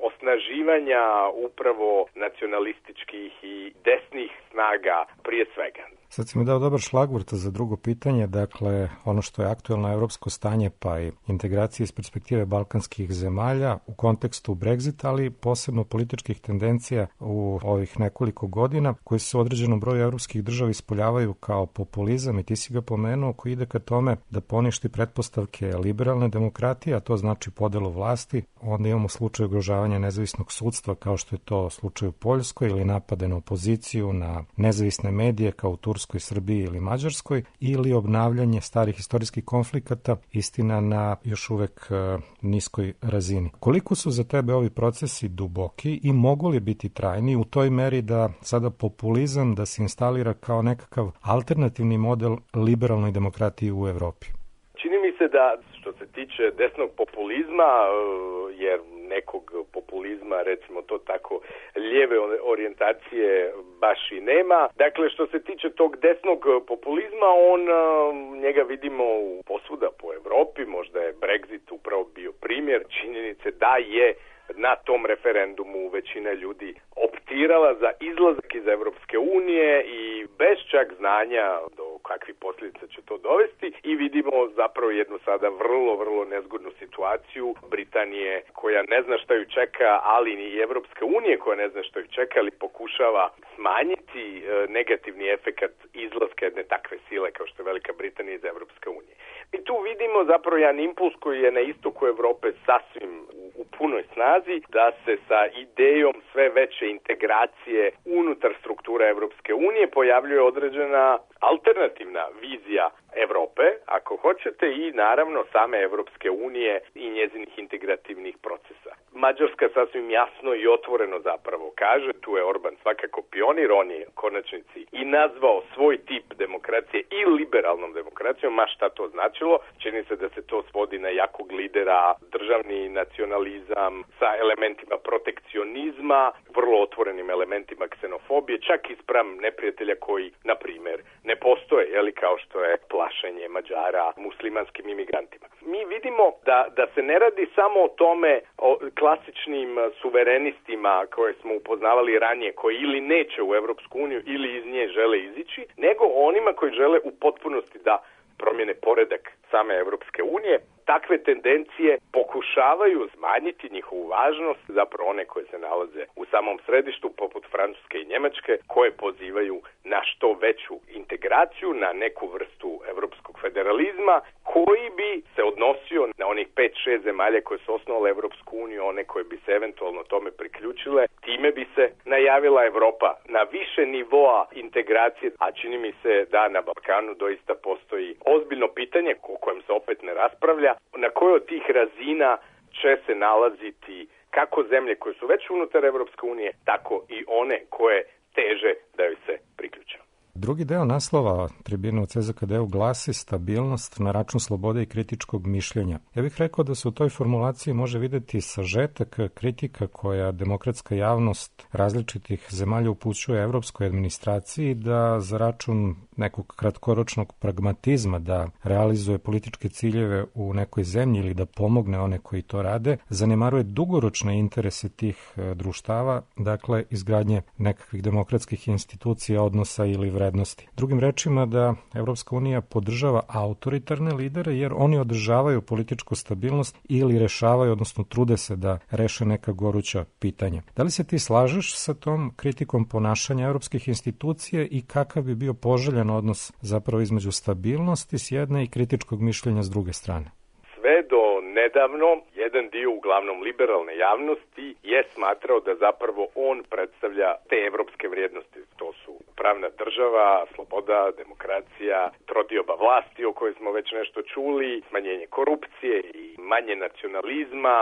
osnaživanja upravo nacionalističkih i desnih snaga prije svega. Sad si mi dao dobar šlagvort za drugo pitanje, dakle ono što je aktuelno evropsko stanje pa i integracije iz perspektive balkanskih zemalja u kontekstu Brexita, ali posebno političkih tendencija u ovih nekoliko godina koji se u određenom broju evropskih država ispoljavaju kao populizam, i ti si ga pomenuo, koji ide ka tome da poništi pretpostavke liberalne demokratije, a to znači podelu vlasti. Onda imamo slučaj ugrožavanja nezavisnog sudstva kao što je to slučaj u Poljskoj, ili napade na opoziciju, na nezavisne medije kao u Turskoj, Srbiji ili Mađarskoj, ili obnavljanje starih istorijskih konflikata, istina na još uvek uh, niskoj razini. Koliko su za tebe ovi procesi duboki i mogu li biti trajni u toj meri da sada populizam da se instalira kao nekakav alternativni model liberalnoj demokratiji u Evropi? Čini mi se da što se tiče desnog populizma, jer nekog populizma, recimo to tako, lijeve orijentacije baš i nema. Dakle, što se tiče tog desnog populizma, on, njega vidimo posvuda po Evropi, možda je Brexit upravo bio primjer činjenice da je na tom referendumu većina ljudi optirala za izlazak iz Evropske unije i bez čak znanja do kakvih posljedica će to dovesti i vidimo zapravo jednu sada vrlo, vrlo nezgodnu situaciju Britanije koja ne zna šta ju čeka, ali i Evropske unije koja ne zna šta ju čeka, ali pokušava smanjiti negativni efekat izlaska jedne takve sile kao što je Velika Britanija iz Evropske unije. I tu vidimo zapravo jedan impuls koji je na istoku Evrope sasvim u punoj snazi, da se sa idejom sve veće integracije unutar struktura Evropske unije pojavljuje određena alternativna vizija Evrope, ako hoćete, i naravno same Evropske unije i njezinih integrativnih procesa. Mađarska sasvim jasno i otvoreno zapravo kaže, tu je Orban svakako pionir, on je konačnici i nazvao svoj tip demokracije i liberalnom demokracijom, ma šta to značilo. Čini se da se to svodi na jakog lidera, državni nacionalizam sa elementima protekcionizma, vrlo otvorenim elementima ksenofobije, čak i spram neprijatelja koji, na primjer, ne postoje, jeli, kao što je plašenje Mađara muslimanskim imigrantima. Mi vidimo da, da se ne radi samo o tome, o klasičnim suverenistima koje smo upoznavali ranije, koji ili neće u Evropsku uniju ili iz nje žele izići, nego onima koji žele u potpunosti da promjene poredak same Evropske unije. Takve tendencije pokušavaju smanjiti njihovu važnost, zapravo one koje se nalaze u samom središtu, poput Francuske i Njemačke, koje pozivaju na što veću integraciju, na neku vrstu evropskog federalizma, koji bi se odnosio na onih pet šest zemalja koje su osnovale Evropsku uniju, one koje bi se eventualno tome priključile. Time bi se najavila Evropa na više nivoa integracije, a čini mi se da na Balkanu doista postoji ozbiljno pitanje o kojem se opet ne raspravlja, na kojoj od tih razina će se nalaziti kako zemlje koje su već unutar Evropske unije, tako i one koje teže da joj se priključe. Drugi deo naslova tribine u C Z K D-u glasi stabilnost na račun slobode i kritičkog mišljenja. Ja bih rekao da se u toj formulaciji može videti sažetak kritika koja demokratska javnost različitih zemalja upućuje evropskoj administraciji da za račun nekog kratkoročnog pragmatizma da realizuje političke ciljeve u nekoj zemlji ili da pomogne one koji to rade, zanemaruje dugoročne interese tih društava, dakle izgradnje nekakvih demokratskih institucija, odnosa ili vrednosti. Drugim rečima da Evropska unija podržava autoritarne lidere jer oni održavaju političku stabilnost ili rešavaju, odnosno trude se da reše neka goruća pitanja. Da li se ti slažeš sa tom kritikom ponašanja evropskih institucija i kakav bi bio poželjan odnos zapravo između stabilnosti s jedne i kritičkog mišljenja s druge strane? Sve do nedavno jedan dio uglavnom liberalne javnosti je smatrao da zapravo on predstavlja te evropske vrijednosti. To su pravna država, sloboda, demokracija, trodioba vlasti o kojoj smo već nešto čuli, smanjenje korupcije i manje nacionalizma,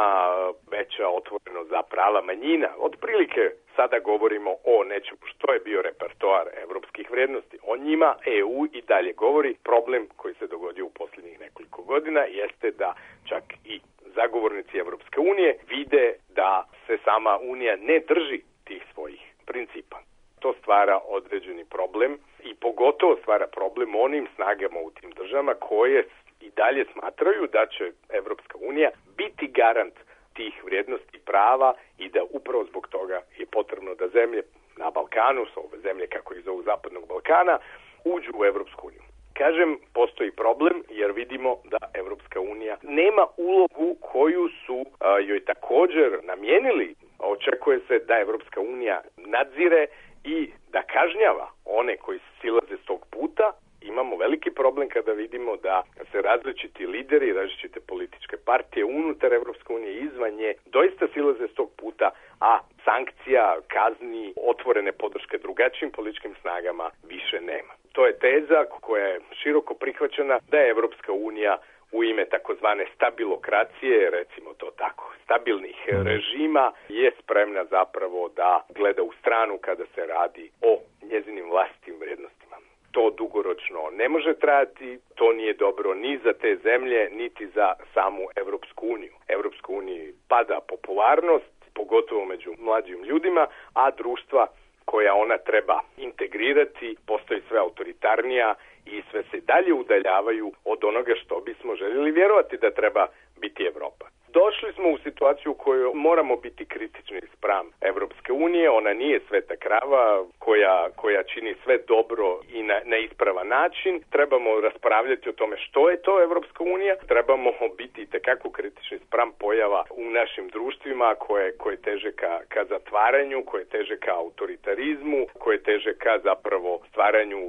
veća otvorenost za prava manjina. Otprilike sada govorimo o nečemu što je bio repertoar evropskih vrijednosti. O njima E U i dalje govori. Problem koji se dogodio u posljednjih nekoliko godina jeste da čak i zagovornici Evropske unije vide da se sama Unija ne drži tih svojih principa. To stvara određeni problem i pogotovo stvara problem onim snagama u tim državama koje i dalje smatraju da će Evropska unija biti garant tih vrijednosti prava i da upravo zbog toga je potrebno da zemlje na Balkanu, su ove zemlje kako ih zovu Zapadnog Balkana, uđu u Evropsku uniju. Kažem, postoji problem jer vidimo da Evropska unija nema ulogu koju su a, joj također namijenili. Očekuje se da Evropska unija nadzire i da kažnjava one koji silaze s tog puta. Imamo veliki problem kada vidimo da se različiti lideri, različite političke partije unutar Evropske unije i izvan nje doista silaze s tog puta, a sankcija, kazni, otvorene podrške drugačijim političkim snagama više nema. To je teza koja je široko prihvaćena da je Evropska unija u ime takozvane stabilokracije, recimo to tako, stabilnih režima, je spremna zapravo da gleda u stranu kada se radi o njezinim vlastitim vrijednostima. to dugoročno ne može trajati, to nije dobro ni za te zemlje, niti za samu Evropsku uniju. Evropsku uniju pada popularnost, pogotovo među mlađim ljudima, a društva koja ona treba integrirati postaju sve autoritarnija i sve se dalje udaljavaju od onoga što bismo željeli vjerovati da treba biti Evropa. Došli smo u situaciju u kojoj moramo biti kritični spram Evropske unije. Ona nije sveta krava koja, koja čini sve dobro i na, na ispravan način. Trebamo raspravljati o tome što je to Evropska unija. Trebamo biti itekako kritični spram pojava u našim društvima koje, koje teže ka, ka zatvaranju, koje teže ka autoritarizmu, koje teže ka zapravo stvaranju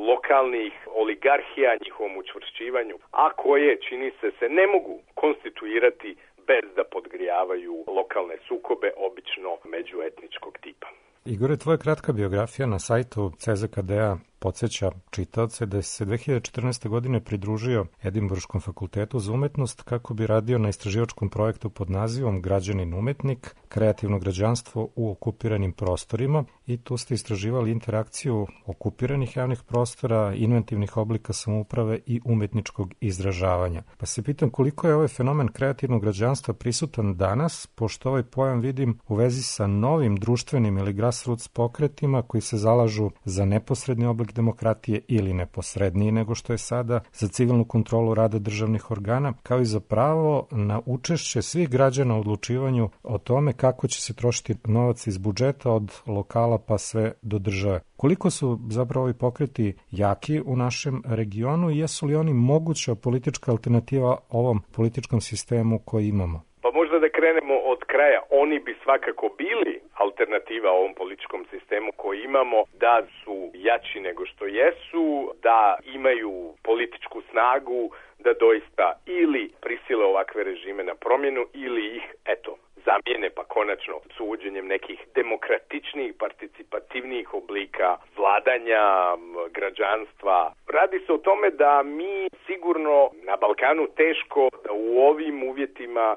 lokalnih oligarhija, njihovom učvršćivanju, a koje, čini se, se ne mogu konstituirati bez da podgrijavaju lokalne sukobe, obično međuetničkog tipa. Igore, tvoja kratka biografija na sajtu C Z K D-a podsjeća čitaoce da se dve hiljade četrnaeste. godine pridružio Edinburškom fakultetu za umetnost kako bi radio na istraživačkom projektu pod nazivom Građanin umetnik, kreativno građanstvo u okupiranim prostorima, i tu ste istraživali interakciju okupiranih javnih prostora, inventivnih oblika samouprave i umetničkog izražavanja. Pa se pitam koliko je ovaj fenomen kreativnog građanstva prisutan danas, pošto ovaj pojam vidim u vezi sa novim društvenim ili grassroots pokretima koji se zalažu za neposredni oblik demokratije ili neposredniji nego što je sada, za civilnu kontrolu rada državnih organa, kao i za pravo na učešće svih građana u odlučivanju o tome kako će se trošiti novac iz budžeta od lokala pa sve do države. Koliko su zapravo ovi pokreti jaki u našem regionu i jesu li oni moguća politička alternativa ovom političkom sistemu koji imamo? Pa možda da krenemo od kraja. Oni bi svakako bili alternativa ovom političkom sistemu koji imamo, da su jači nego što jesu, da imaju političku snagu, da doista ili prisile ovakve režime na promjenu ili ih, eto, zamijene pa konačno s uvođenjem nekih demokratičnijih, participativnijih oblika vladanja, građanstva. Radi se o tome da mi sigurno na Balkanu teško da u ovim uvjetima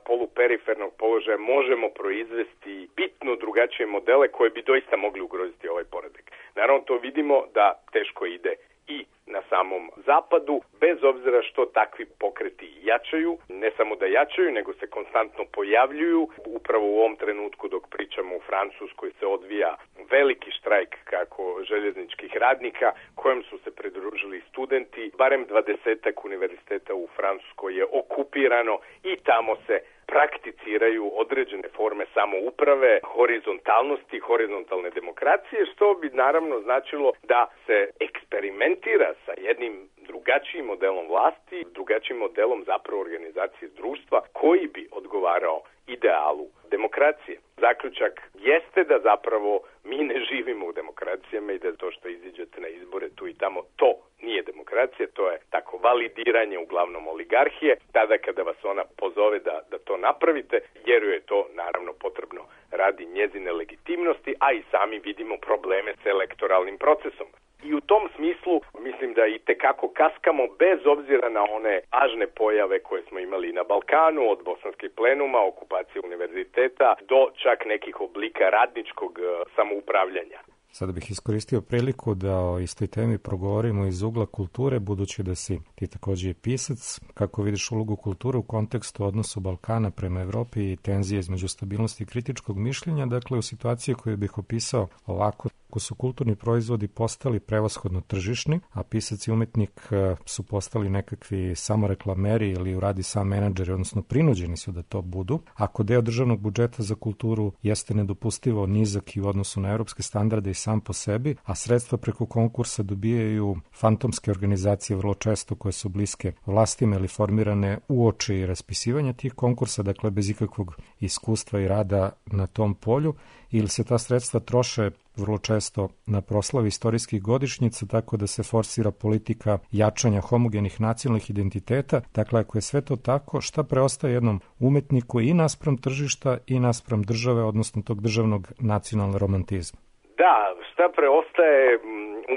poluperifernog položaja možemo proizvesti bitno drugačije modele koje bi doista mogli ugroziti ovaj poredak. Naravno, to vidimo da teško ide i na samom zapadu, bez obzira što takvi pokreti jačaju, ne samo da jačaju, nego se konstantno pojavljuju. Upravo u ovom trenutku dok pričamo u Francuskoj se odvija veliki štrajk kako željezničkih radnika, kojem su se pridružili studenti. Barem dvadesetak univerziteta u Francuskoj je okupirano i tamo se prakticiraju određene forme samouprave, horizontalnosti, horizontalne demokracije, što bi naravno značilo da se eksperimentira sa jednim drugačijim modelom vlasti, drugačijim modelom zapravo organizacije društva koji bi odgovarao idealu demokracije. Zaključak jeste da zapravo mi ne živimo u demokracijama i da to što iziđete na izbore tu i tamo, to nije demokracija, to je tako validiranje uglavnom oligarhije. Tada kada vas ona pozove da, da to napravite, jer joj je to naravno potrebno radi njezine legitimnosti, a i sami vidimo probleme s elektoralnim procesom. I u tom smislu mislim da i tekako kaskamo bez obzira na one važne pojave koje smo imali na Balkanu, od bosanskih plenuma, okupacije univerziteta, do čak nekih oblika radničkog samoupravljanja. Sada bih iskoristio priliku da o istoj temi progovorimo iz ugla kulture, budući da si ti također je pisac. Kako vidiš ulogu kulture u kontekstu odnosu Balkana prema Evropi i tenzije između stabilnosti i kritičkog mišljenja, dakle u situaciji koju bih opisao ovako: ako su kulturni proizvodi postali prevashodno tržišni, a pisac i umetnik su postali nekakvi samoreklameri ili uradi sam menadžeri, odnosno prinuđeni su da to budu, ako deo državnog budžeta za kulturu jeste nedopustivo nizak i u odnosu na evropske standarde i sam po sebi, a sredstva preko konkursa dobijaju fantomske organizacije vrlo često koje su bliske vlastima ili formirane uoči raspisivanja tih konkursa, dakle bez ikakvog iskustva i rada na tom polju, ili se ta sredstva troše vrlo često na proslavi istorijskih godišnjica, tako da se forsira politika jačanja homogenih nacionalnih identiteta. Dakle, ako je sve to tako, šta preostaje jednom umetniku i naspram tržišta i naspram države, odnosno tog državnog nacionalnog romantizma? Da, šta šta preostaje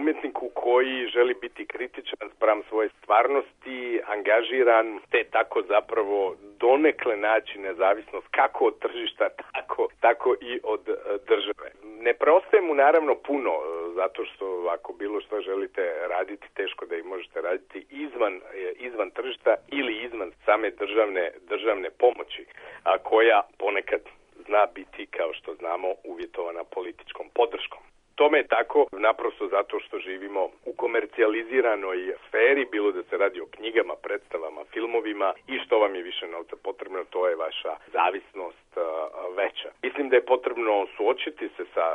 umjetniku koji želi biti kritičan spram svoje stvarnosti, angažiran, te tako zapravo donekle naći nezavisnost kako od tržišta, tako, tako i od države. Ne preostaje mu naravno puno, zato što ako bilo što želite raditi, teško da i možete raditi izvan, izvan tržišta ili izvan same državne, državne pomoći, a koja ponekad zna biti, kao što znamo, uvjetovana političkom podrškom. Tome je tako naprosto zato što živimo u komercijaliziranoj sferi, bilo da se radi o knjigama, predstavama, filmovima i što vam je više novca potrebno, to je vaša zavisnost uh, veća. Mislim da je potrebno suočiti se sa,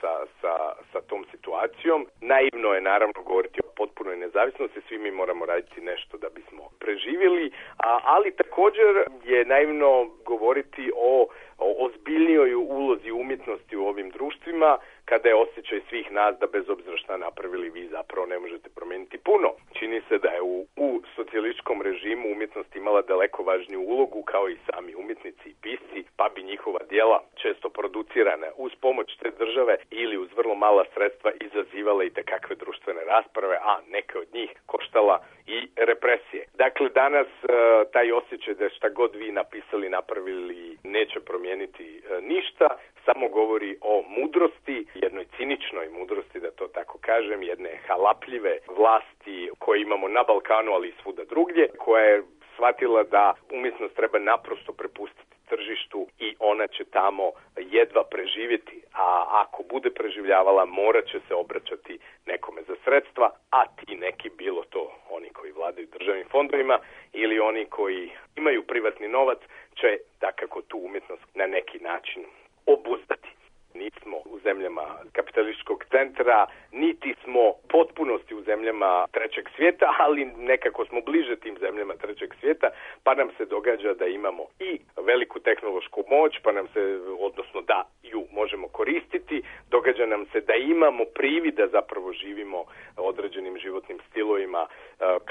sa, sa, sa tom situacijom. Naivno je naravno govoriti o potpunoj nezavisnosti, svi mi moramo raditi nešto da bismo preživjeli, a, ali također je naivno govoriti o o ozbiljnijoj ulozi umjetnosti u ovim društvima, kada je osjećaj svih nas da bez obzira šta napravili vi zapravo ne možete promijeniti puno. Čini se da je u, u socijalističkom režimu umjetnost imala daleko važniju ulogu kao i sami umjetnici i pisci, pa bi njihova djela često producirana uz pomoć te države ili uz vrlo mala sredstva izazivala i tekakve društvene rasprave, a neke od njih koštala i represije. Dakle, danas uh, taj osjećaj da šta god vi napisali, napravili, neće promijeniti uh, ništa, samo govori o mudrosti, jednoj ciničnoj mudrosti, da to tako kažem, jedne halapljive vlasti koje imamo na Balkanu, ali i svuda drugdje, koja je shvatila da umjetnost treba naprosto prepustiti tržištu i ona će tamo jedva preživjeti, a ako bude preživljavala morat će se obraćati nekome za sredstva, a ti neki, bilo to oni koji vladaju državnim fondovima ili oni koji imaju privatni novac, će dakako tu umjetnost na neki način obuzdati. Nismo u zemljama kapitalističkog centra, niti smo potpunosti u zemljama trećeg svijeta, ali nekako smo bliže tim zemljama trećeg svijeta, pa nam se događa da imamo i veliku tehnološku moć, pa nam se, odnosno da ju možemo koristiti, događa nam se da imamo privid da zapravo živimo određenim životnim stilovima,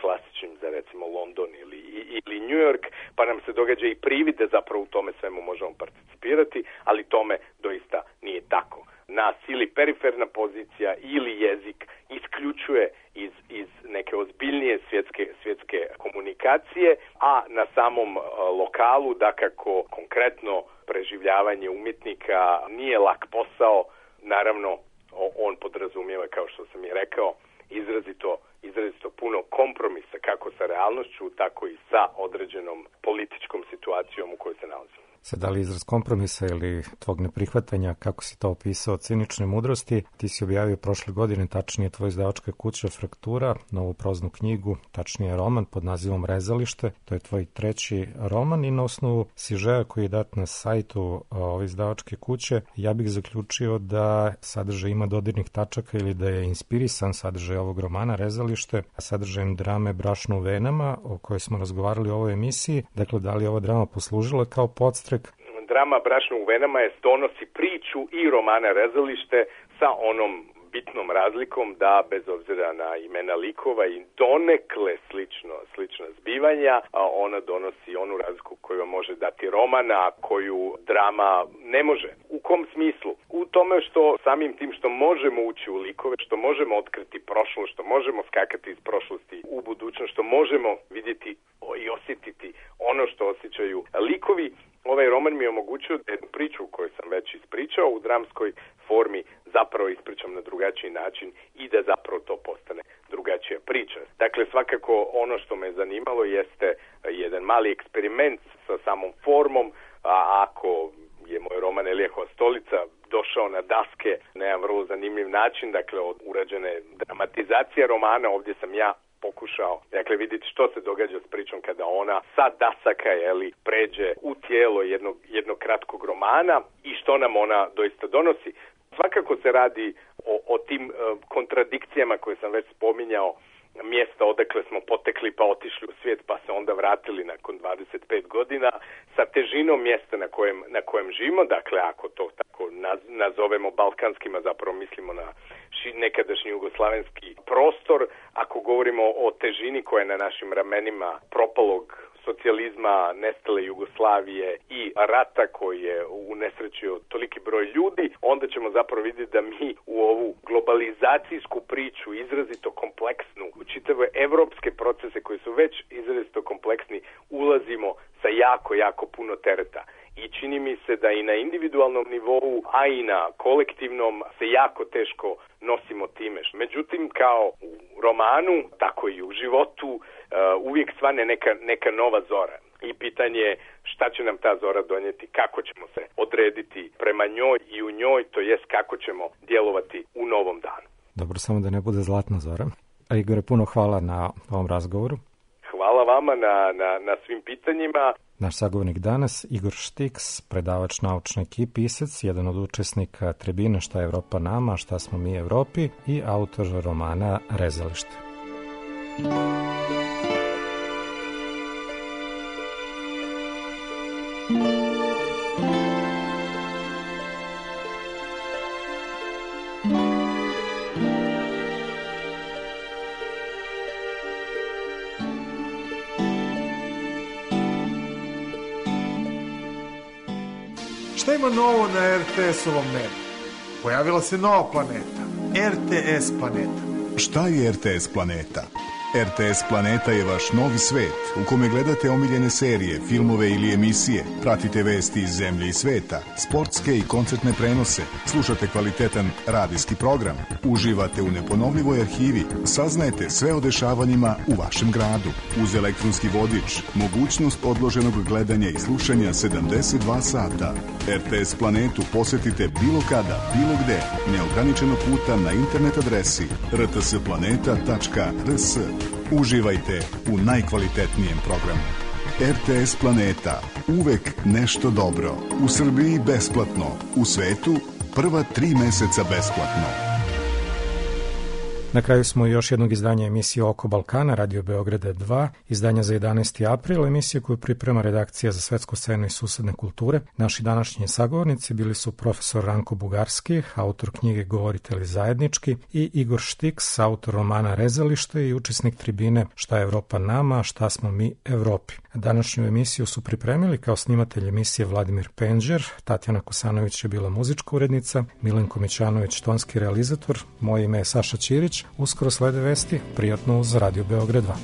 klasičnim za recimo London ili, ili New York, pa nam se događa i privid da zapravo u tome svemu možemo participirati, ali tome doista nije tako. Nas ili periferna pozicija ili jezik isključuje iz, iz neke ozbiljnije svjetske, svjetske komunikacije, a na samom uh, lokalu, dakako konkretno preživljavanje umjetnika nije lak posao, naravno on podrazumijeva, kao što sam i rekao, izrazito, izrazito puno kompromisa kako sa realnošću, tako i sa određenom političkom situacijom u kojoj se nalazimo. Sad, da li izraz kompromisa ili tvog neprihvatanja, kako si to opisao, cinične mudrosti, ti si objavio prošle godine, tačnije tvoja izdavačka kuća Fraktura, novu proznu knjigu, tačnije roman pod nazivom Rezalište, to je tvoj treći roman i na osnovu sižeja koji je dat na sajtu ove izdavačke kuće, ja bih zaključio da sadržaj ima dodirnih tačaka ili da je inspirisan sadržaj ovog romana Rezalište, sadržajem drame Brašno u venama, o kojoj smo razgovarali u ovoj emisiji. Dakle, da li je ova drama poslužila kao podstrek? Drama Brašno u venama je donosi priču i romana Rezalište sa onom bitnom razlikom da bez obzira na imena likova i donekle slično, slična zbivanja, a ona donosi onu razliku koju može dati roman, a koju drama ne može. U kom smislu? U tome što samim tim što možemo ući u likove, što možemo otkriti prošlost, što možemo skakati iz prošlosti u budućnost, što možemo vidjeti i osjetiti ono što osjećaju likovi, ovaj roman mi je omogućio da jednu priču koju sam već ispričao u dramskoj formi zapravo ispričam na drugačiji način i da zapravo to postane drugačija priča. Dakle, svakako ono što me zanimalo jeste jedan mali eksperiment sa samom formom, a ako je moj roman Elijahova stolica došao na daske na jedan vrlo zanimljiv način, dakle od urađene dramatizacije romana, ovdje sam ja pokušao, dakle, vidjeti što se događa s pričom kada ona sa dasaka, jeli, pređe u tijelo jednog, jednog kratkog romana i što nam ona doista donosi. Svakako se radi o, o tim uh, kontradikcijama koje sam već spominjao, mjesta odakle smo potekli pa otišli u svijet pa se onda vratili nakon dvadeset pet godina sa težinom mjesta na kojem, na kojem živimo, dakle ako to tako naz, nazovemo balkanskima, zapravo mislimo na ši, nekadašnji jugoslavenski prostor, ako govorimo o težini koja je na našim ramenima propalog socijalizma, nestale Jugoslavije i rata koji je unesrećio toliki broj ljudi, onda ćemo zapravo vidjeti da mi u ovu globalizacijsku priču, izrazito kompleksnu, u čitave evropske procese koji su već izrazito kompleksni, ulazimo sa jako, jako puno tereta. I čini mi se da i na individualnom nivou, a i na kolektivnom se jako teško nosimo time. Međutim, kao u romanu, tako i u životu, uh, uvijek svane neka, neka nova zora. I pitanje je šta će nam ta zora donijeti, kako ćemo se odrediti prema njoj i u njoj, to jest kako ćemo djelovati u novom danu. Dobro, samo da ne bude zlatna zora. A Igore, puno hvala na ovom razgovoru. Hvala vama na, na, na svim pitanjima. Naš sagovornik danas, Igor Štiks, predavač naučnoj i pisac, jedan od učesnika tribine Šta je Evropa nama, šta smo mi Evropi i autor romana Rezalište. Šta ima novo na er te es-ovom nebu? Pojavila se nova planeta, er te es planeta. Šta je er te es planeta? er te es Planeta je vaš novi svet u kome gledate omiljene serije, filmove ili emisije, pratite vesti iz zemlje i sveta, sportske i koncertne prenose, slušate kvalitetan radijski program, uživate u neponovljivoj arhivi, saznajete sve o dešavanjima u vašem gradu. Uz elektronski vodič, mogućnost odloženog gledanja i slušanja sedamdeset dva sata. er te es Planetu posetite bilo kada, bilo gde, neograničeno puta na internet adresi er te es planeta tačka er es. Uživajte u najkvalitetnijem programu. er te es Planeta. Uvek nešto dobro. U Srbiji besplatno. U svetu prva tri meseca besplatno. Na kraju smo još jednog izdanja emisije Oko Balkana, Radio Beograda dva, izdanja za jedanaesti april, emisija koju priprema redakcija za svetsku scenu i susedne kulture. Naši današnji sagovornici bili su profesor Ranko Bugarski, autor knjige Govoritelji zajednički, i Igor Štiks, autor romana Rezalište i učesnik tribine Šta je Evropa nama, šta smo mi Evropi. Današnju emisiju su pripremili kao snimatelj emisije Vladimir Penđer, Tatjana Kosanović je bila muzička urednica, Milenko Mićanović tonski realizator, moje ime je Saša Ćirić. Uskoro slede vesti, prijatno uz Radio Beograd dva.